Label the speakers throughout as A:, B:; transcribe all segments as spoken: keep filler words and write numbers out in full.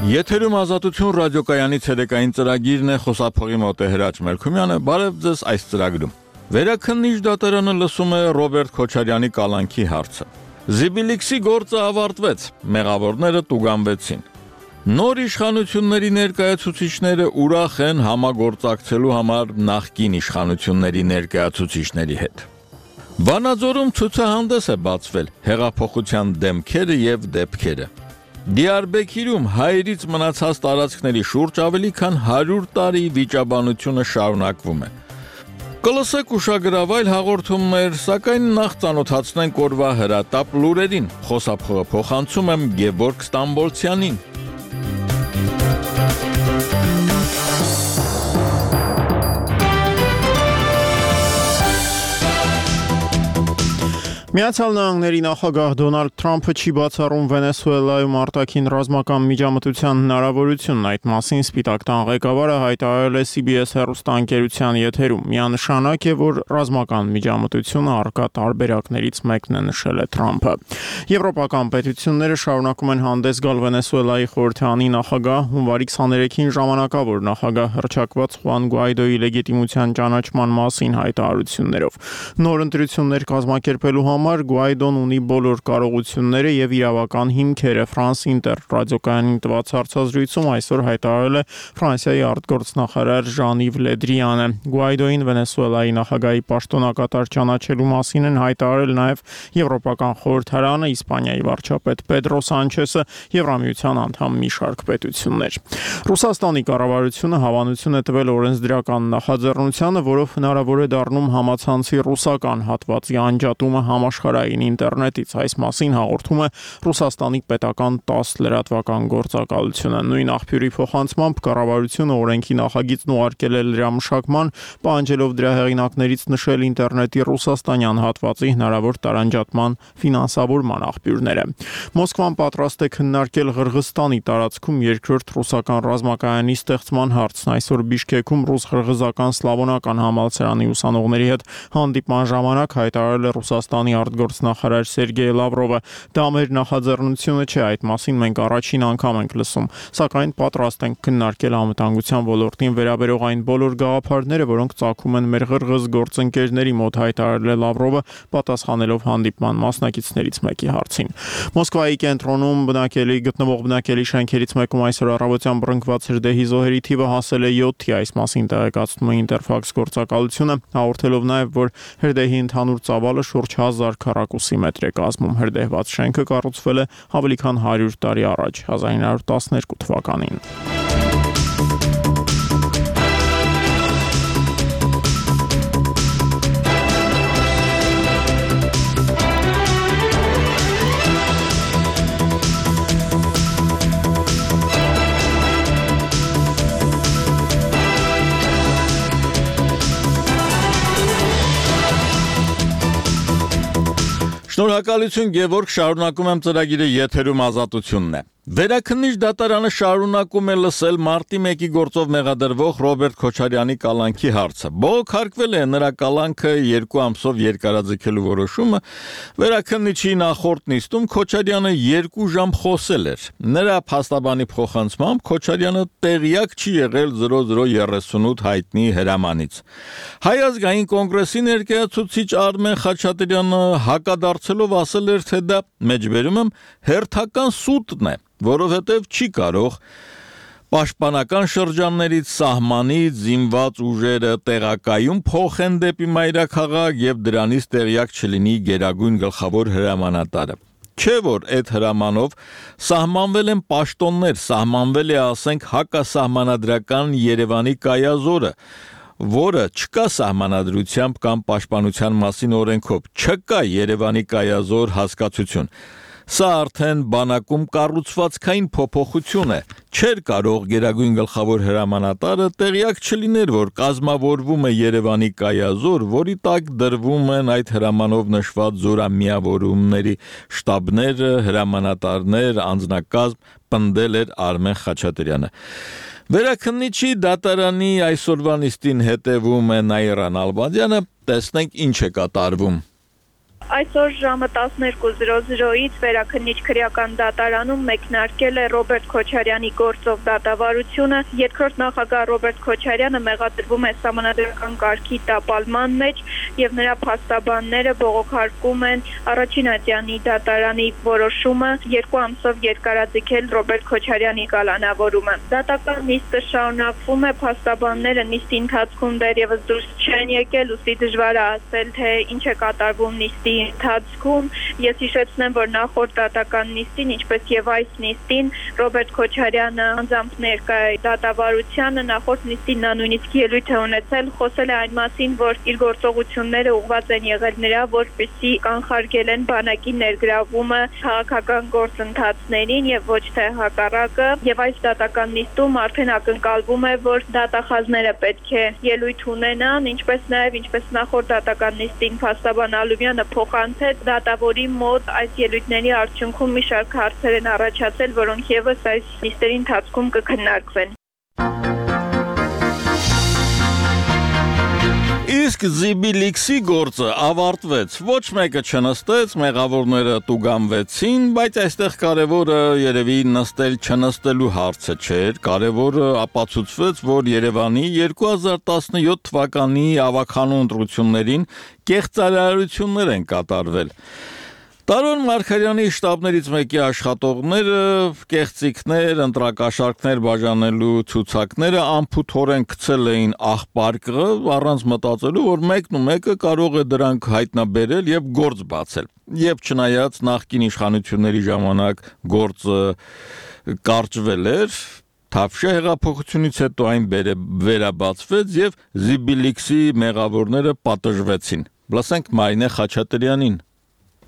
A: Եթերում ազատություն ռադիոկայանի ցերեկային ծրագիրն է, խոսափողի մոտ է Հրաչ Մելքումյանը, բարև ձեզ այս ծրագրում։ Վերաքննիչ դատարանը լսում է Ռոբերտ Քոչարյանի կալանքի հարցը։ Զիբիլիքսի գործը ավարտվեց, մեղավորները տուգանվեցին։ Նոր իշխանությունների ներկայացուցիչները ուրախ են համագործակցելու համար նախկին իշխանությունների ներկայացուցիչների հետ։ Վանաձորում ցուցահանդես է բացվել հեղափոխության դեմքերը եւ դեպքերը։ Դիարբեքիրում հայերից մնացած տարածքների շուրջ ավելի քան հարյուր տարի վիճաբանությունը շարունակվում է։ Կլսեք ուշագրավայր հաղորդումներ, սակայն նախ ծանոթացնենք օրվա հրատապ լուրերին։ Խոսափողը փոխանցում եմ Գևորգ Ստամբոլցյանին։
B: Միացյալ Նահանգների նախագահ Դոնալդ Թրամփը չի բացառում Վենեսուելայում արտաքին ռազմական միջամտության հնարավորությունն, այդ մասին Սպիտակ տան ղեկավարը հայտարարել է C B S հեռուստաընկերության եթերում։ Միանշանակ է, որ ռազմական միջամտությունը առկա տարբերակներից մեկն է, նշել է Թրամփը։ Եվրոպական պետությունները շարունակում են հանդես գալ Վենեսուելայի խորհրդանի նախագահ հունվարի քսաներեքին ժամանակավոր նախագահ հռչակված Խուան Գուայդոյի լեգիտիմության ճանաչման մասին հայտարարություններով։ Նոր ընտրություններ կազմակերպելու համար Գուայդոն ունի բոլոր կարողությունները եւ իրավական հիմքերը, France Inter ռադիոկայանին տված հարցազրույցում այսօր հայտարարել է Ֆրանսիայի արտգործնախարար Ժան-Իվ Լեդրիանը։ Գուայդոին Վենեսուելայի նախագահի պաշտոնակատար ճանաչելու մասին են հայտարարել նաեւ Եվրոպական խորհրդարանը, Իսպանիայի վարչապետ Պեդրո Սանչեսը, Եվրամիության անդամ մի շարք պետություններ։ Ռուսաստանի կառավարությունը հավանություն է տվել օրենսդրական նախաձեռնությանը, որով հնարավոր է դառնում համացանցի ռուսական հատվածի անջատումը համաշխարհային ինտերնետից։ Այս մասին հաղորդում է Ռուսաստանի պետական տաս լրատվական գործակալությունը։ Նույն աղբյուրի փոխանցմամբ կառավարությունը օրենքի նախագիծն ուղարկել է լրամշակման, պահանջելով դրա հեղինակներից նշել ինտերնետի ռուսաստանյան հատվածի հնարավոր տարանջատման ֆինանսավորման աղբյուրները։ Մոսկվան պատրաստ է քննարկել Ղրղստանի տարածքում երկրորդ ռուսական ռազմակայանի ստեղծման հարցն։ Այսօր Բիշկեքում ռուս-ղրղզական սլավոնական համալսարանի ուսանողների հետ հանդիպման ժամանակ հայտարարել է Ռուսաստանի արտգործնախարար Սերգեյ Լավրովը։ Դա մեր նախաձեռնությունը չէ, այդ մասին մենք առաջին անգամ ենք լսում, սակայն պատրաստ ենք քննարկել անվտանգության ոլորտին վերաբերող այն բոլոր գաղափարները, որոնք ծագում են մեր ղրղզ գործընկերների մոտ, հայտարարել է Լավրովը, պատասխանելով հանդիպման մասնակիցներից մեկի հարցին։ Մոսկվայի կենտրոնում բնակելի գտնվող բնակելի շենքերից մեկում այսօր առավոտյան բռնկված հրդեհի զոհերի թիվը հասել է յոթի, այս մասին տեղեկացնում է Ինտերֆաքս գործակալությունը, հաղորդելով նաև, որ հրդեհի ընդհանուր ծավալը շուրջ հազար քառակուսի մետր է կազմում։ Հրդեհված շենքը կառուցվել է ավելի քան հարյուր տարի առաջ, հազար ինը հարյուր տասներկու թվականին։
A: Շնորհակալություն Գևորգ, շարունակում եմ ծրագիրը եթերում ազատությունն է։ Վերաքննիչ դատարանը շարունակում է լսել մարտի մեկի գործով մեղադրվող Ռոբերտ Քոչարյանի կալանքի հարցը։ Բողոքարկվել է նրա կալանքը երկու ամսով երկարաձգելու որոշումը։ Վերաքննիչի նախորդ նիստում Քոչարյանը երկու ժամ խոսել էր։ Նրա փաստաբանի փոխանցմամբ Քոչարյանը տեղյակ չի եղել զրո զրո երեսունութ հայտնի հրամանից։ Հայ ազգային կոնգրեսի ներկայացուցիչ Արմեն Խաչատրյանը հակադարձելով ասել էր, թե դա մեջբերում եմ հերթական սուտն է, որովհետև չի կարող պաշտպանական շրջաններից սահմանից զինված ուժերը տեղակայում փոխեն դեպի մայրաքաղաք եւ դրանից տեղյակ չլինի գերագույն գլխավոր հրամանատարը։ Չէ որ այդ հրամանով սահմանվել են պաշտոններ, սահմանվել է, ասենք, հակասահմանադրական Երևանի կայազորը, որը չկա սահմանադրությամբ կամ պաշտպանության մասին օրենքով, չկա Երևանի կայազոր հասկացություն։ Սա արդեն բանակում կառուցվածքային փոփոխություն է։ Չէր կարող գերագույն գլխավոր հրամանատարը տեղյակ չլիներ, որ կազմավորվում է Երևանի կայազոր, որի տակ դրվում են այդ հրամանով նշված զորամիավորումների շտաբները, հրամանատարներ, անձնակազմ, պնդել էր Արմեն Խաչատրյանը։ Վերաքննիչի դատարանի այսօրվա նիստին հետևում է Նաիրա Նալբանդյանը, տեսնենք ինչ է կատարվում։
C: Այսօր ժամը տասներկու զրո զրոյից վերաքննիչ քրեական դատարանում մեկնարկել է Ռոբերտ Քոչարյանի գործով դատավարությունը։ Երկրորդ նախագահ Ռոբերտ Քոչարյանը մեղադրվում է սահմանադրական կարգի տապալման մեջ եւ նրա փաստաբանները բողոքարկում են առաջին ատյանի դատարանի որոշումը երկու ամսով երկարաձգել Ռոբերտ Քոչարյանի կալանավորումը։ Դատական նիստը շարունակվում է, փաստաբանները նիստի ընթացքում դեռևս դուրս չեն եկել, ուստի դժվար է ասել, թե ինչ է կատարվում նիստի ընթացքում։ Ես հիշեցնեմ, որ նախորդ դատական նիստին, ինչպես եւ այս նիստին, Ռոբերտ Քոչարյանը անձամբ ներկա է դատավարությանը, նախորդ նիստին նա նույնիսկ ելույթ է ունեցել, խոսել է այն մասին, որ իր գործողությունները ուղղված են եղել նրա, որպեսզի կանխարգել են բանակի ներգրավումը քաղաքական գործընթացներին եւ ոչ թե հակառակը, եւ այս դատական նիստում արդեն ակնկալվում է, որ դատախազները պետք է ելույթ ունենան, ինչպես նաեւ ինչպես նախորդ դատական նիստին փաստաբան Ալումյանը փոխանցեց դատավորի մոտ այս ելույթների արդյունքում մի շարք հարցեր են առաջացել, որոնք եւս այս նիստերի ընթացքում կքննարկվեն։
A: Իսկ Զիբիլիքսի գործը ավարտվեց, ոչ մեկը չնստեց, մեղավորները տուգանվեցին, բայց այստեղ կարևորը երևի նստել չնստելու հարցը չէր, կարևորը ապացուցվեց, որ Երևանի երկու հազար տասնյոթ թվականի ավագանու ընտրություններին կեղծարարություններ են կատարվել։ Տարոն Մարգարյանի շտաբներից մեկի աշխատողները կեղծիքներ, ընտրակաշառքներ բաժանելու ցուցակները անփութորեն գցել էին աղբարկը, առանց մտածելու, որ մեկն ու մեկը կարող է դրանք հայտնաբերել եւ գործ բացել։ Եվ չնայած նախկին իշխանությունների ժամանակ գործը կարճվել էր, Թավշյա հեղափոխությունից հետո այն վերաբացվեց եւ Զիբիլիքսի մեղավորները պատժվեցին։ Լսենք Մարինե Խաչատրյանին։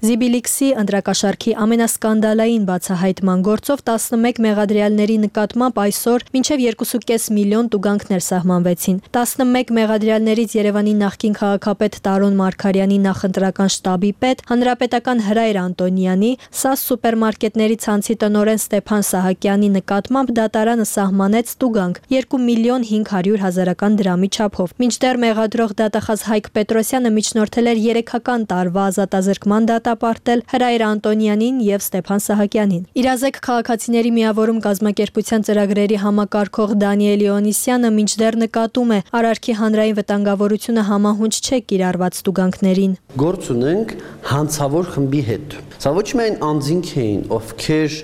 D: Զիբիլիքսի ընտրակաշառքի ամենասկանդալային բացահայտման գործով տասնմեկ մեղադրյալների նկատմամբ այսօր մինչև երկու կoma պենս միլիոն տուգանքներ սահմանվեցին։ տասնմեկ մեղադրյալներից Երևանի նախկին քաղաքապետ Տարոն Մարգարյանի նախընտրական շտաբի պետ, հանրապետական Հրայր Անտոնյանի, ՍԱՍ սուպերմարկետների ցանցի տնօրեն Ստեփան Սահակյանի նկատմամբ դատարանը սահմանեց տուգանք երկու միլիոն հինգ հարյուր հազարական դրամի չափով։ Մինչդեռ մեղադրող դատախազ Հայկ Պետրոսյանը միջնորդել էր երեքական տարվա ազատազրկման դատա ապարտել Հրայր Անտոնյանին եւ Ստեփան Սահակյանին։ Իրազեկ քաղաքացիների միավորում կազմակերպության ծրագրերի համակարգող Դանիել Իոնիսյանը մինչդեռ նկատում է, արարքի հանրային վտանգավորությունը համահունչ չէ կիրառված տուգանքներին։
E: Գործ ունենք հանցավոր խմբի հետ։ Սա ոչ միայն անձինք էին, ովքեր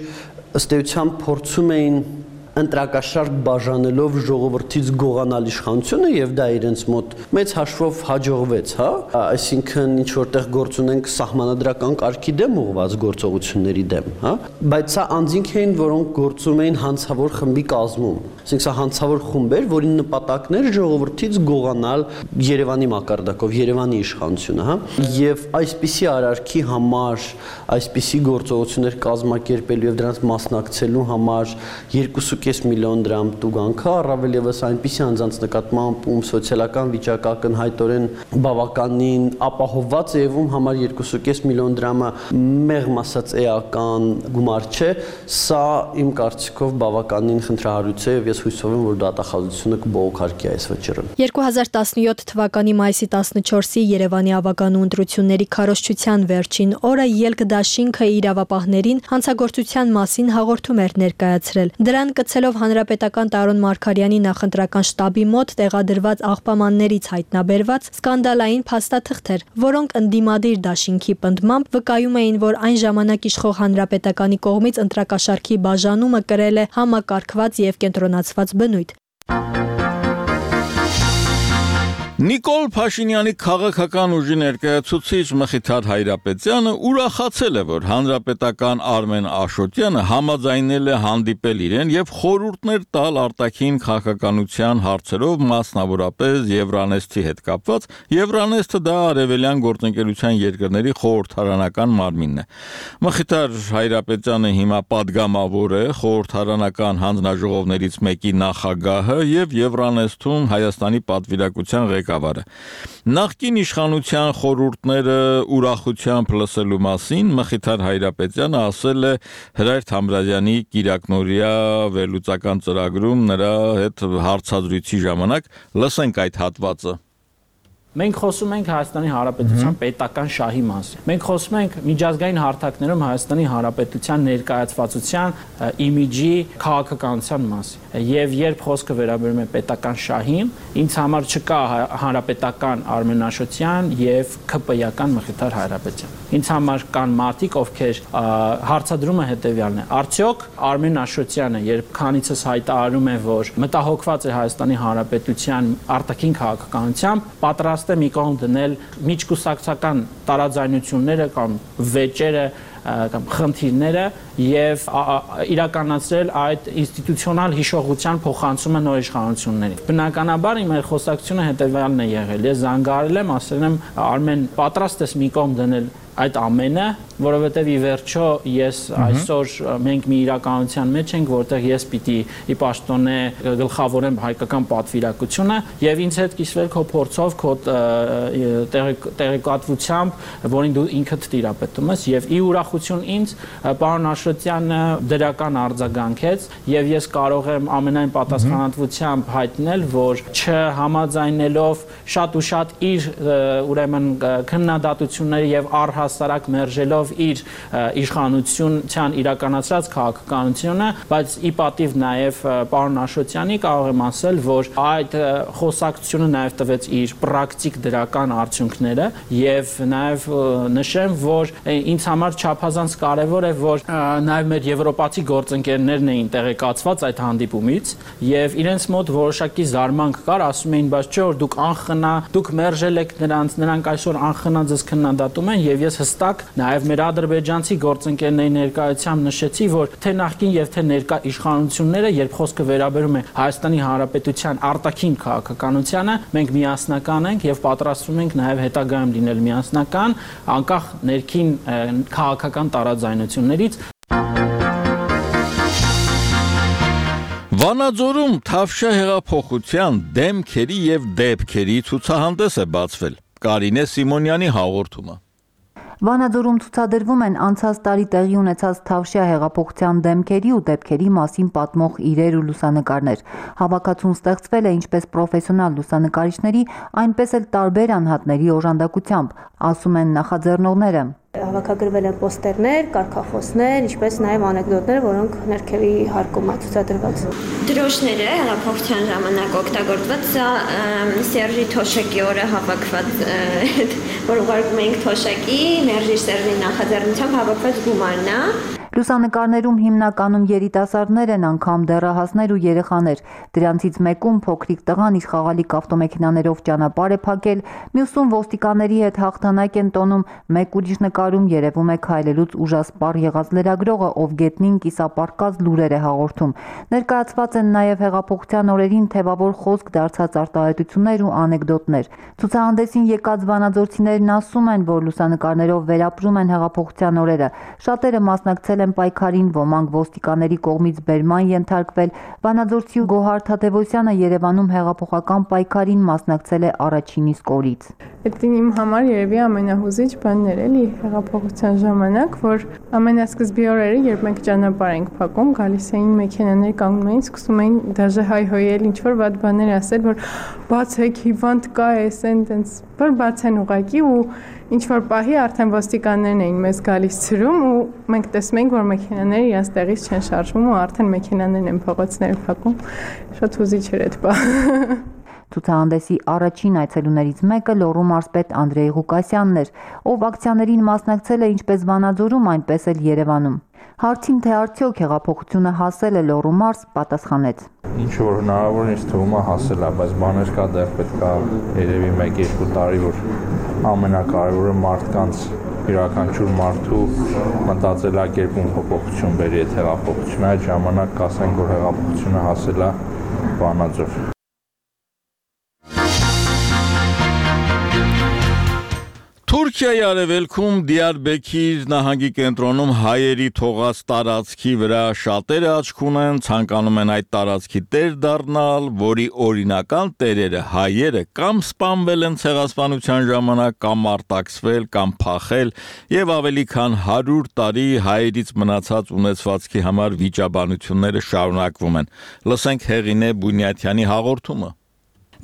E: ըստ էության փորձում էին ընտրակաշառք բաժանելով ժողովրդից գողանալ իշխանությունը եւ դա իրենց մոտ մեծ հաշվով հաջողվեց, հա, այսինքն ինչ որտեղ գործ ունենք սահմանադրական կարգի դեմ ուղղված գործողությունների դեմ, հա, բայց սա անձինք էին, որոնք գործում էին հանցավոր խմբի կազմում, այսինքն սա հանցավոր խումբ էր, որի նպատակն էր ժողովրդից գողանալ Երևանի մակարդակով, Երևանի իշխանությունը, հա, եւ այսպիսի արարքի համար, այսպիսի գործողություններ կազմակերպելու եւ դրանց մասնակցելու համար երկու կoma պենս միլիոն դրամ տուգանքը, առավել եւս այնպիսի անձանց նկատմամբ, ում սոցիալական վիճակը ակնհայտորեն բավականին ապահովված է եւ ում համար երկու կoma պենս միլիոն դրամը մեղմ ասած էական գումար չէ, սա իմ կարծիքով բավականին խնդրահարույց է եւ ես հույսով եմ, որ դատախազությունը կբողոքարկի այս վճռը։
D: երկու հազար տասնյոթ թվականի մայիսի տասնչորսի Երևանի ավագանու ընտրությունների քարոզչության վերջին օրը Ելք դաշինքը իրավապահներին հանցագործության մասին հաղորդում էր ներկայացրել։ Դրան կցելով հանրապետական Տարոն Մարգարյանի նախընտրական շտաբի մոտ տեղադրված աղբամաններից հայտնաբերված սկանդալային փաստաթղթեր, որոնք ընդդիմադիր դաշինքի պնդմամբ վկայում էին, որ այն ժամանակ իշխող հանրապետականի կողմից ընտրակաշառքի բաժանումը կրել է համակարգված եւ կենտրոնացված բնույթ։
A: Նիկոլ Փաշինյանի քաղաքական ուժի ներկայացուցիչ Մխիթար Հայրապետյանը ուրախացել է, որ հանրապետական Արմեն Աշոտյանը համաձայնել է հանդիպել իրեն եւ խորհուրդներ տալ արտաքին քաղաքականության հարցերով, մասնավորապես Եվրանեստի հետ կապված։ Եվրանեստը դա արևելյան գործընկերության երկրների խորհրդարանական մարմինն է։ Մխիթար Հայրապետյանը հիմա падգամավոր է խորհրդարանական հանձնաժողովներից մեկի նախագահը եւ Եվրանեստում Հայաստանի պատվիրակության ղեկավարը։ Նախկին իշխանության խորհուրդները ուրախությամբ լսելու մասին Մխիթար Հայրապետյանը ասել է Հրայր Թամրազյանի կիրակնօրյա վերլուծական ծրագրում նրա հետ հարցազրույցի ժամանակ։ Լսենք այդ հատվածը։
F: Մենք խոսում ենք Հայաստանի Հանրապետության պետական շահի մասին։ Մենք խոսում ենք միջազգային հարթակներում Հայաստանի Հանրապետության ներկայացվածության, իմիջի, քաղաքականության մասին։ Եվ երբ խոսքը վերաբերում է պետական շահին, ինձ համար չկա հանրապետական Արմենաշոտյան եւ ՔՊ-ական Մխիթար Հայրապետյան։ Ինձ համար կան մարդիկ, ովքեր հարցադրումը հետեւյալն է. արդյոք Արմեն Աշոտյանը, երբ քանիցս հայտարարում է, որ մտահոգված է Հայաստանի Հանրապետության արտաքին քաղաքականությամբ, պատրաստ է մի կողմ դնել միջկուսակցական տարաձայնությունները կամ վեճերը կամ խնդիրները եւ իրականացրել այդ ինստիտուցիոնալ հիշողության փոխանցումը նոր իշխանություններին։ Բնականաբար իմ խոսակցությունը հետեւյալն է եղել։ Ես զանգահարել եմ, ասել եմ Արմեն, պատրաստ ես մի կողմ դնել այդ ամենը, որովհետև ի վերջո ես այսօր մենք մի իրականության մեջ ենք, որտեղ ես պիտի ի պաշտոնե գլխավորեմ հայկական պատվիրակությունը եւ ինձ հետ կիսվել քո փորձով, քո տեղեկատվությամբ, որին դու ինքդ տիրապետում ես եւ ի ուրախություն ինձ պարոն Աշոտյանը դրական արձագանքեց եւ ես կարող եմ ամենայն պատասխանատվությամբ հայտնել, որ չհամաձայնելով շատ ու շատ իր ուրեմն քննադատությունները եւ առհասարակ հասարակ մերժելով իր իշխանության իրականացրած քաղաքականությունը, բայց ի պատիվ նաև պարոն Աշոտյանի կարող եմ ասել, որ այդ խոսակցությունը նաև տվեց իր պրակտիկ դրական արդյունքները եւ նաև նշեմ, որ ինձ համար չափազանց կարեւոր է, որ նաև մեր եվրոպացի գործընկերներն էին տեղեկացված այդ հանդիպումից եւ իրենց մոտ որոշակի զարմանք կար, ասում էին, բայց չէ՞ որ դուք անխնա, դուք մերժել եք նրանց, նրանք այսօր անխնա ձեզ քննադատում են եւ ես հստակ նաև մեր ադրբեջանցի գործընկերների ներկայությամբ նշեցի, որ թե նախկին եւ թե ներկա իշխանությունները, երբ խոսքը վերաբերում է Հայաստանի Հանրապետության արտաքին քաղաքականությանը, մենք միասնական ենք եւ պատրաստվում ենք նաև հետագայում լինել միասնական, անկախ ներքին քաղաքական տարաձայնություններից։
A: Վանաձորում Թավշյա հեղափոխության դեմքերի եւ դեպքերի ցուցահանդես է բացվել։ Կարինե Սիմոնյանի հաղորդումը։
G: Վանաձորում ցուցադրվում են անցած տարի տեղի ունեցած Թավշյա հեղափոխության դեմքերի ու դեպքերի մասին պատմող իրեր ու լուսանկարներ։ Հավաքածուն ստեղծվել է ինչպես պրոֆեսիոնալ լուսանկարիչների, այնպես էլ տարբեր անհատների օժանդակությամբ, ասում են նախաձեռնողները։
H: Հավաքագրվել են պոստերներ, կարգախոսներ, ինչպես նաև անեկդոտներ, որոնք ներքևի հարկում է ցուցադրված։
I: Դրոշները հեղափոխության ժամանակ օգտագործված, սա Սերժի Թոշակի օրը հավաքված, որ ուղարկում էինք Թոշակի, Մերժի Սերժի նախաձեռնությամբ հավաքված գումարն է։
G: Լուսանկարներում հիմնականում երիտասարդներ են, անգամ դեռահասներ ու երեխաներ։ Դրանցից մեկում փոքրիկ տղան իր խաղալիք ավտոմեքենաներով ճանապարհ է փակել, մյուսում ոստիկանների հետ հաղթանակ են տոնում, մեկ ուրիշ նկարում երևում է քայլելուց ուժասպառ եղած լրագրողը, ով գետնին կիսապարկած լուրեր է հաղորդում։ Ներկայացված են նաև հեղափոխության օրերին թևավոր խոսք դարձած արտահայտություններ ու անեկդոտներ։ Ցուցահանդեսին եկած վանաձորցիներն ասում են, որ լուսանկարներով վերապրում են հեղափոխության օրերը։ Շատերը մասնակցել են պայքարին, ոմանք ոստիկանների կողմից բերման ենթարկվել։ Վանաձորցի Գոհար Թադևոսյանը Երևանում հեղափոխական պայքարին մասնակցել է առաջին իսկ օրից։
J: Դա իմ համար երևի ամենահուզիչ բանն էր էլի հեղափոխության ժամանակ, որ ամենասկզբի օրերը, երբ մենք ճանապարհ ենք փակում, գալիս էին մեքենաներ, կանգնում էին, սկսում էին դաժե հայհոյել, ինչ որ վատ բաներ ասել, որ բացեք, հիվանդ կա, էս են, տենց, որ բացեն ուղակի ու ինչ որ պահի արդեն ոստիկաններն էին մեզ գալիս ցրում ու մենք տեսնում ենք, որ մեքենաները իրաց տեղից չեն շարժվում ու արդեն մեքենաներն են փողոցները փակում։ Շատ հուզիչ էր այդ բանը։
G: Ցուցահանդեսի առաջին այցելուներից մեկը Լոռու մարզպետ Անդրեյ Ղուկասյանն էր, ով ակցիաներին մասնակցել է ինչպես Վանաձորում, այնպես էլ Երևանում։ Հարցին, թե արդյոք հեղափոխությունը հասել է Լոռու մարզ, պատասխանեց.
K: Ինչ որ հնարավոր ինձ թվում է հասել է, բայց բաներ կա, դեռ պետք է երևի մեկ-երկու տարի, որ ամենակարևորը մարդկանց յուրաքանչյուր մարդու մտածելակերպում փոփոխություն բերի այդ հեղափոխությունը, այդ ժամանակ կասենք, որ հեղափոխությունը հասել է Վանաձոր։
A: Թուրքիայի արևելքում Դիարբեքիր նահանգի կենտրոնում հայերի թողած տարածքի վրա շատերը աչք ունեն, ցանկանում են այդ տարածքի տեր դառնալ, որի օրինական տերերը հայերը կամ սպանվել են ցեղասպանության ժամանակ, կամ արտաքսվել, կամ փախել, եւ ավելի քան հարյուր տարի հայերից մնացած ունեցվածքի համար վիճաբանությունները շարունակվում են։ Լսենք Հեղինե Բունյաթյանի հաղորդումը։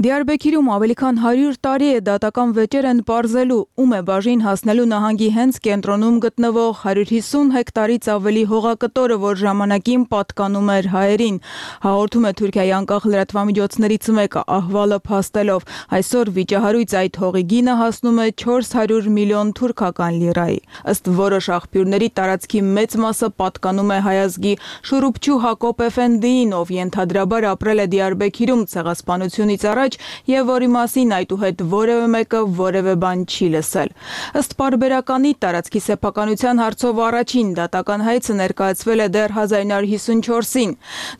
L: Դիարբեքիրում ավելի քան հարյուր տարի է դատական վեճեր են պարզելու, ում է բաժին հասնելու նահանգի հենց կենտրոնում գտնվող հարյուր հիսուն հեկտարից ավելի հողակտորը, որ ժամանակին պատկանում էր հայերին։ Հաղորդում է Թուրքիայի անկախ լրատվամիջոցներից մեկը, ահվալը փաստելով։ Այսօր վիճահարույց այդ հողի գինը հասնում է չորս հարյուր միլիոն թուրքական լիրայի։ Ըստ որոշ աղբյուրների տարածքի մեծ մասը պատկանում է հայազգի Շուրուպչու Հակոբ Էֆենդիին, ով ենթադրաբար ապրել է Դիարբեքիրում ցեղասպանությունից առաջ եւ որի մասին այդուհետ որևէ մեկը որևէ բան չի լսել։ Ըստ պարբերականի տարածքի սեփականության հարցով առաջին դատական հայցը ներկայացվել է դեռ հազար իննյակ հարյուր հիսունչորսին։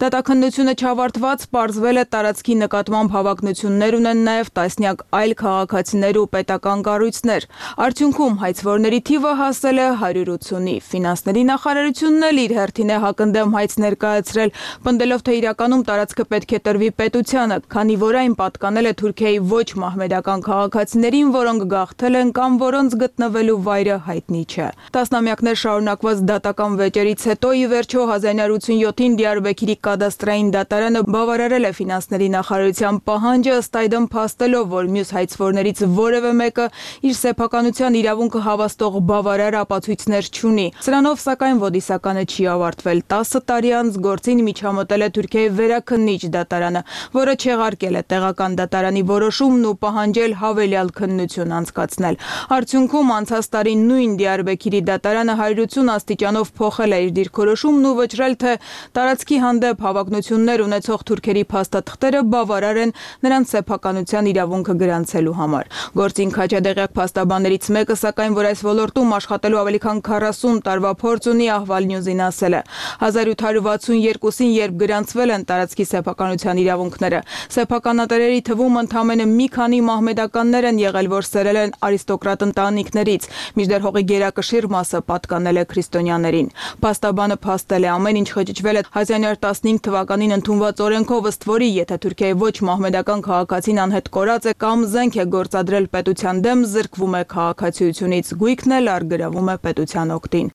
L: Դատաքննությունը չավարտված պարզվել է տարածքի նկատմամբ հավակնություններ ունեն նաեւ տասնյակ այլ քաղաքացիներ ու պետական կառույցներ։ Արդյունքում հայցվորների թիվը հասել է հարյուր ութունի։ Ֆինանսների նախարարությունն էլ իր հերթին է հակընդդեմ հայց ներկայացրել, պնդելով թե իրականում տարածքը պետք է տրվի պետությանը, քանի որ այն պատկանել է Թուրքիայի ոչ մահմեդական քաղաքացիներին, որոնք գաղթել են կամ որոնց գտնվելու վայրը հայտնի չէ։ Տասնամյակներ շարունակված դատական վեճերից հետո ի վերջո հազար իննյակ հարյուր ութսունյոթին Դիարբեքիրի կադաստրային դատարանը բավարարել է ֆինանսների նախարարության պահանջը, ըստ այդմ փաստելով, որ մյուս հայցվորներից որևէ մեկը իր սեփականության իրավունքը հավաստող բավարար ապացույցներ չունի։ Սրանով սակայն ոդիսականը չի ավարտվել։ տասը տարի անց գործին միջամտել է Թուրքիայի վերաքննիչ դատարանը, որը չեղարկել է տեղական դատարանի որոշումն ու պահանջել հավելյալ քննություն անցկացնել։ Արդյունքում անցած տարի նույն Դիարբեքիրի դատարանը հարյուր ութսուն աստիճանով փոխել է իր դիրքորոշումն ու վճռել, թե տարածքի հանդեպ հավակնություններ ունեցող թուրքերի փաստաթղթերը բավարար են նրանց սեփականության իրավունքը գրանցելու համար։ Գործին քաջադեղյակ փաստաբաններից մեկը, սակայն որ այս ոլորտում աշխատելու ավելի քան քառասուն տարվա փորձ ունի, Ahval News-ին ասել է. հազար ութ հարյուր վաթսուն երկուսին, երբ գրանցվել են տարածքի սեփականության իրավունքները, սեփականատերերի թվում ընդամենը մի քանի մահմեդականներ են եղել, որ սերել են արիստոկրատ ընտանիքներից, մինչդեռ հողի գերակշիռ մասը պատկանել է քրիստոնյաներին։ Փաստաբանը փաստել է, ամեն ինչ խճճվել է հազար իննյակ հարյուր տասնհինգ թվականին ընդունված օրենքով, ըստ որի եթե Թուրքիայի ոչ մահմեդական քաղաքացին անհետ կորած է կամ զենք է գործադրել պետության դեմ, զրկվում է քաղաքացիությունից, գույքն էլ առգրավում է պետության օգտին։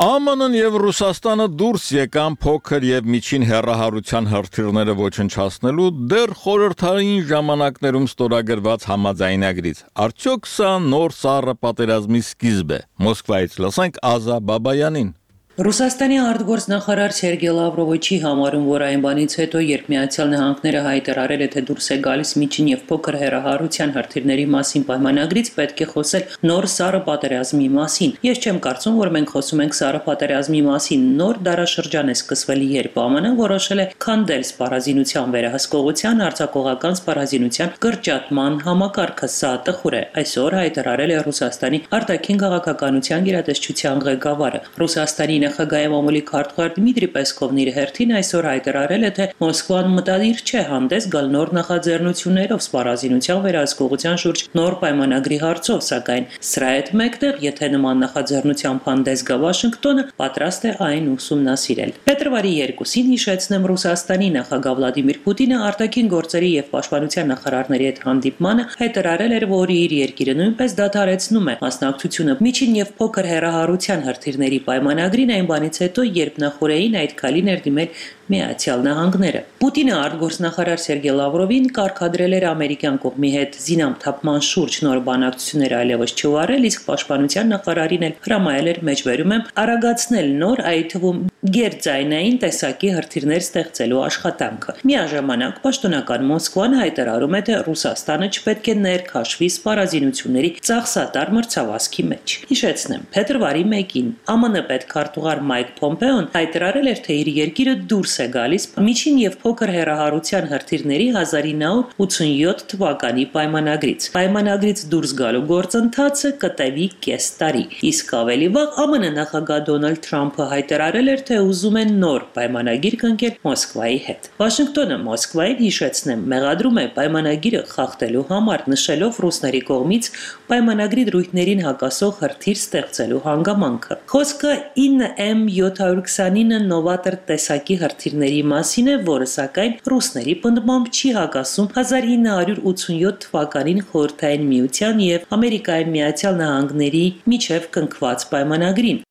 A: Է Մ Ն-ն եւ Ռուսաստանը դուրս եկան փոքր եւ միջին հեռահարության հրթիռները ոչնչացնելու դեռ խորհրդային ժամանակներում ստորագրված համաձայնագրից։ Արդյոք սա նոր սառը պատերազմի սկիզբ է։ Մոսկվայից լսենք Ազա Բաբայանին։
M: Ռուսաստանի արտգործնախարար Սերգեյ Լավրովը չի համարում, որ այն բանից հետո, երբ Միացյալ Նահանգները հայտարարել է, թե դուրս է գալիս միջին եւ փոքր հեռահարության հրթիռների մասին պայմանագրից, պետք է խոսել նոր սառը պատերազմի մասին։ Ես չեմ կարծում, որ մենք խոսում ենք սառը պատերազմի մասին։ Նոր դարաշրջան է սկսվել, երբ Ա Մ Ն-ն որոշել է քանդել սպառազինության վերահսկողության, արձակողական սպառազինության կրճատման համակարգը։ Սա տխուր է։ Այսօր հայտարարել է Ռուսաստանի արտաքին քաղաքականության գերատեսչության ղեկավարը։ Ռուսաստանի նախագահ մամուլի քարտուղար Դմիտրի Պեսկովն իր հերթին այսօր հայտարարել է, թե Մոսկվան մտադիր չէ հանդես գալ նոր նախաձեռնություններով սպառազինության վերահսկողության շուրջ նոր պայմանագրի հարցով, սակայն սրա հետ մեկտեղ, եթե նման նախաձեռնությամբ հանդես գա Վաշինգտոնը, պատրաստ է այն ուսումնասիրել։ Փետրվարի երկուսին, հիշեցնեմ, Ռուսաստանի նախագահ Վլադիմիր Պուտինը արտաքին գործերի եւ պաշտպանության նախարարների հետ հանդիպմանը հայտարարել էր, որ իր երկիրը նույնպես դադարեցնում է մասնակցությունը միջին եւ փոքր հեռահարության հրթիռների պայմանագրին այն բանից հետո, երբ նախորդին այդ քայլին էր դիմել Միացյալ Նահանգները։ Պուտինը արտգործնախարար Սերգեյ Լավրովին կարգադրել էր ամերիկյան կողմի հետ զինամթափման շուրջ նոր բանակցություններ այլևս չվարել, իսկ պաշտպանության նախարարին էլ հրամայել էր մեջբերում եմ արագացնել նոր, այդ թվում գերձայնային տեսակի հրթիռներ ստեղծելու աշխատանքը։ Միաժամանակ պաշտոնական Մոսկվան հայտարարում է, թե Ռուսաստանը չպետք է ներքաշվի սպառազինությունների ծախսատար մրցավազքի մեջ։ Հիշեցնեմ, փետրվարի մեկին Ա Մ Ն պետքարտուղար Մայք Պոմպեոն հայտարարել էր, թե իր երկիրը դուրս է գալիս միջին եւ փոքր հեռահարության հրթիռների հազար իննյակ հարյուր ութսունյոթ թվականի պայմանագրից։ Պայմանագրից դուրս գալու գործընթացը կտևի կես տարի։ Իսկ ավելի վաղ Ա Մ Ն նախագահ Դոնալդ Թրամփը հայտարարել էր, թե ուզում են նոր պայմանագիր կնքել Մոսկվայի հետ։ Վաշինգտոնը Մոսկվային, հիշեցնեմ, մեղադրում է պայմանագիրը խախտելու համար, նշելով ռուսների կողմից պայմանագրի դրույթներին հակասող հրթիռ ստեղծելու հանգամանքը։ Խոսքը ինը Էմ յոթ հարյուր քսանինը նովատոր տեսակի հրթիռների մասին է, որը սակայն ռուսների պնդմամբ չի հակասում հազար իննյակ հարյուր ութսունյոթ թվականին Խորհրդային Միության եւ Ամերիկայի Միացյալ Նահանգների միջև կնքված պայմանագրին։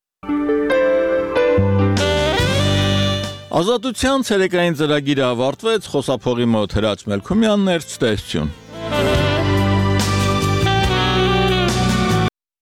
A: Ազատության ցերեկային ծրագիրը ավարտվեց, խոսափողի մոտ Հրաչ Մելքումյանն էր, ցտեսություն։